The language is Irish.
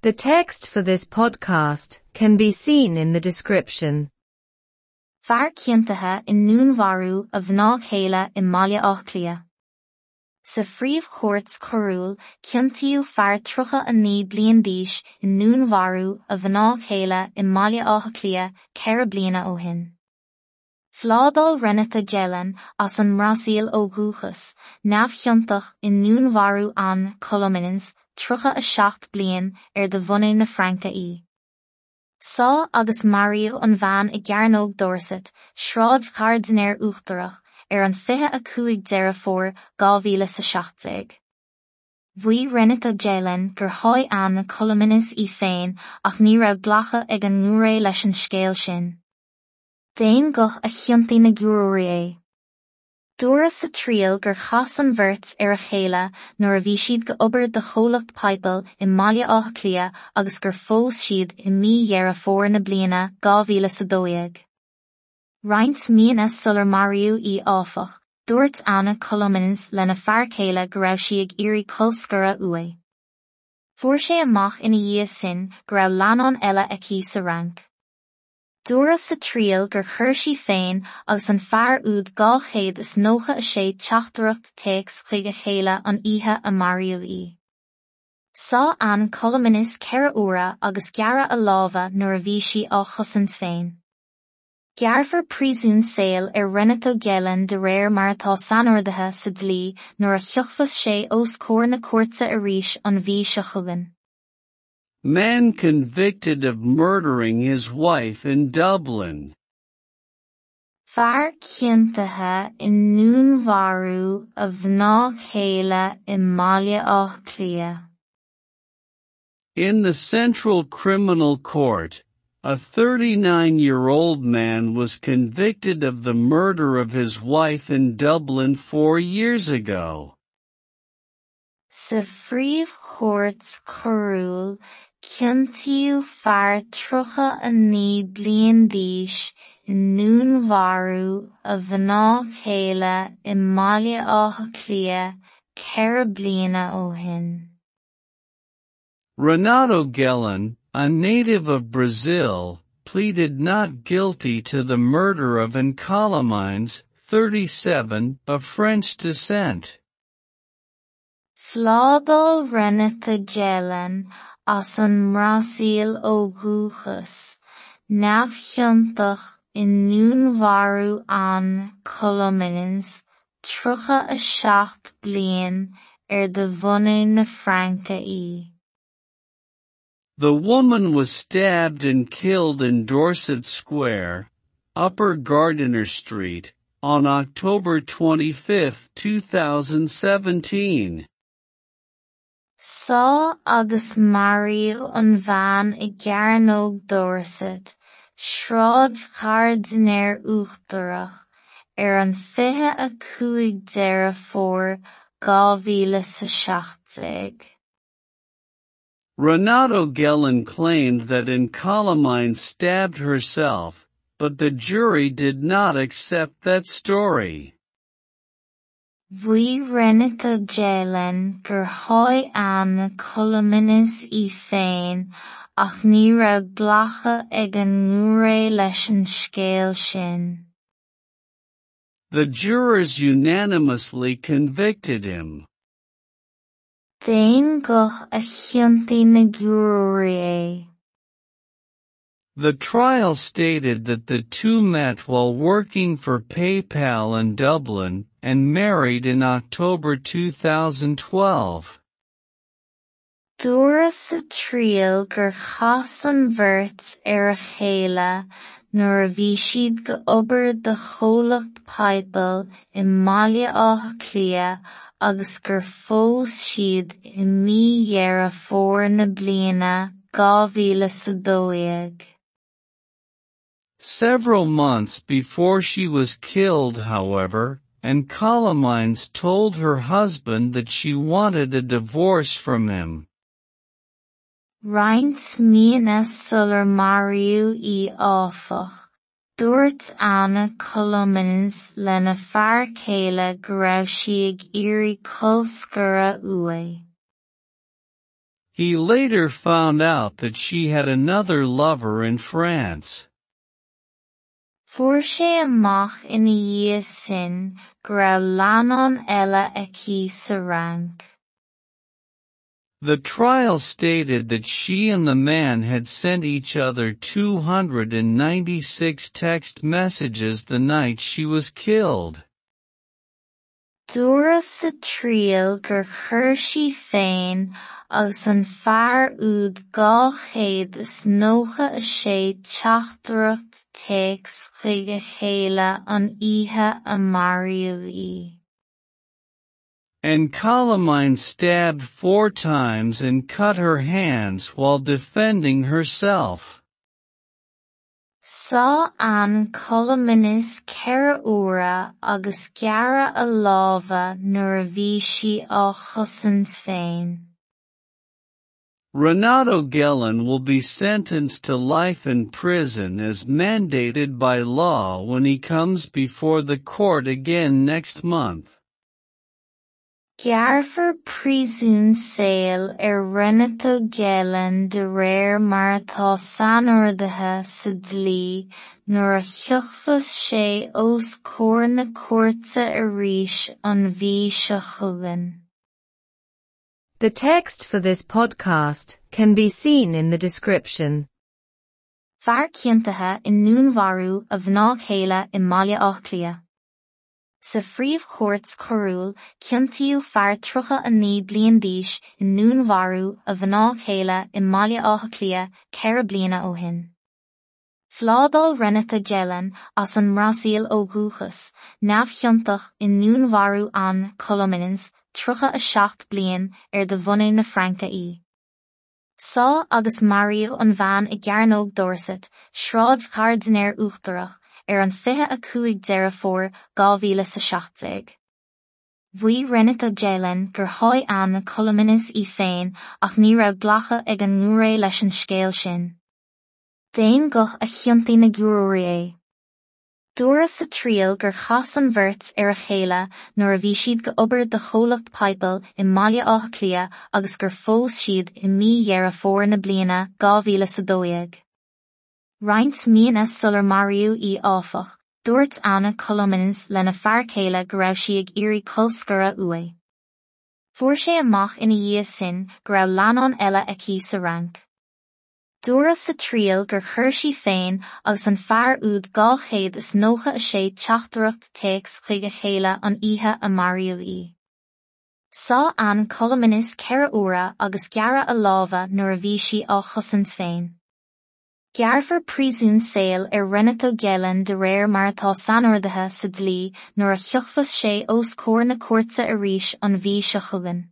The text for this podcast can be seen in the description. Fear ciontaithe i ndúnmharú a mhná chéile i mBaile Átha Cliath. Sa phríomhchúirt choiriúil, ciontaíodh fear 39 bliain d'aois i ndúnmharú a mhná chéile i mBaile Átha Cliath 4 bliana ó shin. Phládáil Renato Gehlen, as an mBrasaíl ó dhúchas, neamhchiontach i ndúnmharú Anne Colomines, 37 bliain, ar de bhunadh na Fraince í. Sádh agus maraíodh an bhean i gCearnóg Dorset, Sráid Ghairdinéir Uachtarach, ar an 25 Deireadh Fómhair 2017. Mhaígh Renato Gehlen gur sháigh Anne Colomines í féin ach ní raibh glacadh ag an ngiúiré leis an scéal sin. D'aon ghuth a chiontaigh na giúróirí é. Dúradh sa triail gur chas an bheirt ar a chéile nuair a bhí siad go obair do chomhlacht PayPal i mBaile Átha Cliath agus gur phós siad i mí Dheireadh Fómhair na bliana 2012. Roinnt míonna sular maraíodh í áfach, dúirt Anne Colomines lena fear céile go raibh sí ag iarraidh colscaradh uaidh. Fuair sé amach ina dhiaidh sin go raibh leannán eile aici sa Fhrainc. Dúradh sa triail gur chuir sí féin agus an fear úd 296 teachtaireacht téacs chuig a chéile an oíche a maraíodh í. Sádh Anne Colomines 4 huaire agus gearradh a lámha nuair a bhí sí á chosaint féin. Gearrfar príosún saoil ar Renato Gehlen de réir mar atá sainordaithe sa dlí nuair a thiocfas sé os comhair na cúirte arís an mhí seo chugainn. Man convicted of murdering his wife in Dublin. Fear ciontaithe i ndúnmharú a mhná chéile i mBaile Átha Cliath. In the Central Criminal Court, a 39-year-old man was convicted of the murder of his wife in Dublin 4 years ago. Sa phríomhchúirt choiriúil, ciontaíodh fear 39 bliain d'aois i ndúnmharú a mhná chéile i mBaile Átha Cliath 4 bliana ó shin. Renato Gehlen, a native of Brazil, pleaded not guilty to the murder of Anne Colomines, 37, of French descent. Phládáil Renato Gehlen as an mBrasaíl ó dhúchas, neamhchiontach i ndúnmharú Anne Colomines, 37 bliain, ar de bhunadh na Fraince í. The woman was stabbed and killed in Dorset Square, Upper Gardiner Street, on October 25, 2017. Sádh agus maraíodh an bhean i gCearnóg Dorset, Sráid Ghairdinéir Uachtarach, ar an 25 Deireadh Fómhair 2017. Renato Gehlen claimed that Anne Colomines stabbed herself, but the jury did not accept that story. Mhaígh Renato Gehlen gur sháigh Anne Colomines í féin ach ní raibh glacadh ag an ngiúiré leis an scéal sin. The jurors unanimously convicted him. D'aon ghuth a chiontaigh na giúróirí é. The trial stated that the two met while working for PayPal in Dublin and married in October 2012. Dúradh sa triail gur chas an bheirt ar a chéile nuair a bhí siad go obair do chomhlacht PayPal i mBaile Átha Cliath agus gur phós siad i mí Dheireadh Fómhair na bliana 2012. Several months before she was killed, however, Anne Colomines told her husband that she wanted a divorce from him. Roinnt míonna sular maraíodh í áfach, dúirt Anne Colomines lena fear céile go raibh sí ag iarraidh colscaradh uaidh. He later found out that she had another lover in France. Fuair sé amach ina dhiaidh sin go raibh leannán eile aici sa Fhrainc. The trial stated that she and the man had sent each other 296 text messages the night she was killed. Dúradh sa triail gur chuir sí féin agus an fear úd 296 teachtaireacht téacs chuig a chéile an oíche a maraíodh í. Anne Colomines stabbed four times and cut her hands while defending herself. Sádh Anne Colomines ceithre huaire agus gearradh a lámha nuair a bhí sí á chosaint féin. Renato Gehlen will be sentenced to life in prison as mandated by law when he comes before the court again next month. Gearrfar príosún saoil ar Renato Gehlen de réir mar atá sainordaithe sa dlí nuair a thiocfas sé os comhair na cúirte arís an mhí seo chugainn. The text for this podcast can be seen in the description. Fear ciontaithe i ndúnmharú a mhná chéile i mBaile Átha Cliath. Sa phríomhchúirt choiriúil, ciontaíodh fear 39 bliain d'aois i ndúnmharú a mhná chéile i mBaile Átha Cliath ceithre bliana ó shin. Phládáil Renata Gehlen as an mBrasaíl ó dhúchas, neamhchiontach i ndúnmharú Anne Colomines, 37 bliain, ar de bhunadh na Fraince í. Sádh agus maraíodh an bhean i gCearnóg Dorset, Sráid Ghairdinéir Uachtarach, ar an 25 Deireadh Fómhair 2017. Mhaígh Renata Gehlen gur sháigh Anne Colomines í féin ach ní raibh glacadh ag an ngiúiré leis an scéal sin. D'aon ghuth a chiontaigh na giúróirí é. Dúradh sa triail gur chas an bheirt ar a chéile nuair a bhí siad ag obair do chomhlacht PayPal i mBaile Átha Cliath agus gur phós siad i mí Dheireadh Fómhair na bliana 2012. Roinnt míonna sular maraíodh í áfach, dúirt Anne Colomines lena fear céile go raibh sí ag iarraidh colscaradh uaidh. Fuair sé amach ina dhiaidh sin go raibh leannán eile aici sa Fhrainc. Dúradh sa triail gur chuir sí féin agus an fear úd 296 teachtaireacht téacs chuig a chéile an oíche a maraíodh í. Sádh Anne Colomines ceithre huaire agus gearradh a lámha nuair a bhí sí á chosaint féin. Gearrfar príosún saoil ar Renato Gehlen de réir mar atá sainordaithe sa dlí nuair a thiocfas sé os comhair na cúirte arís an mhí seo chugainn.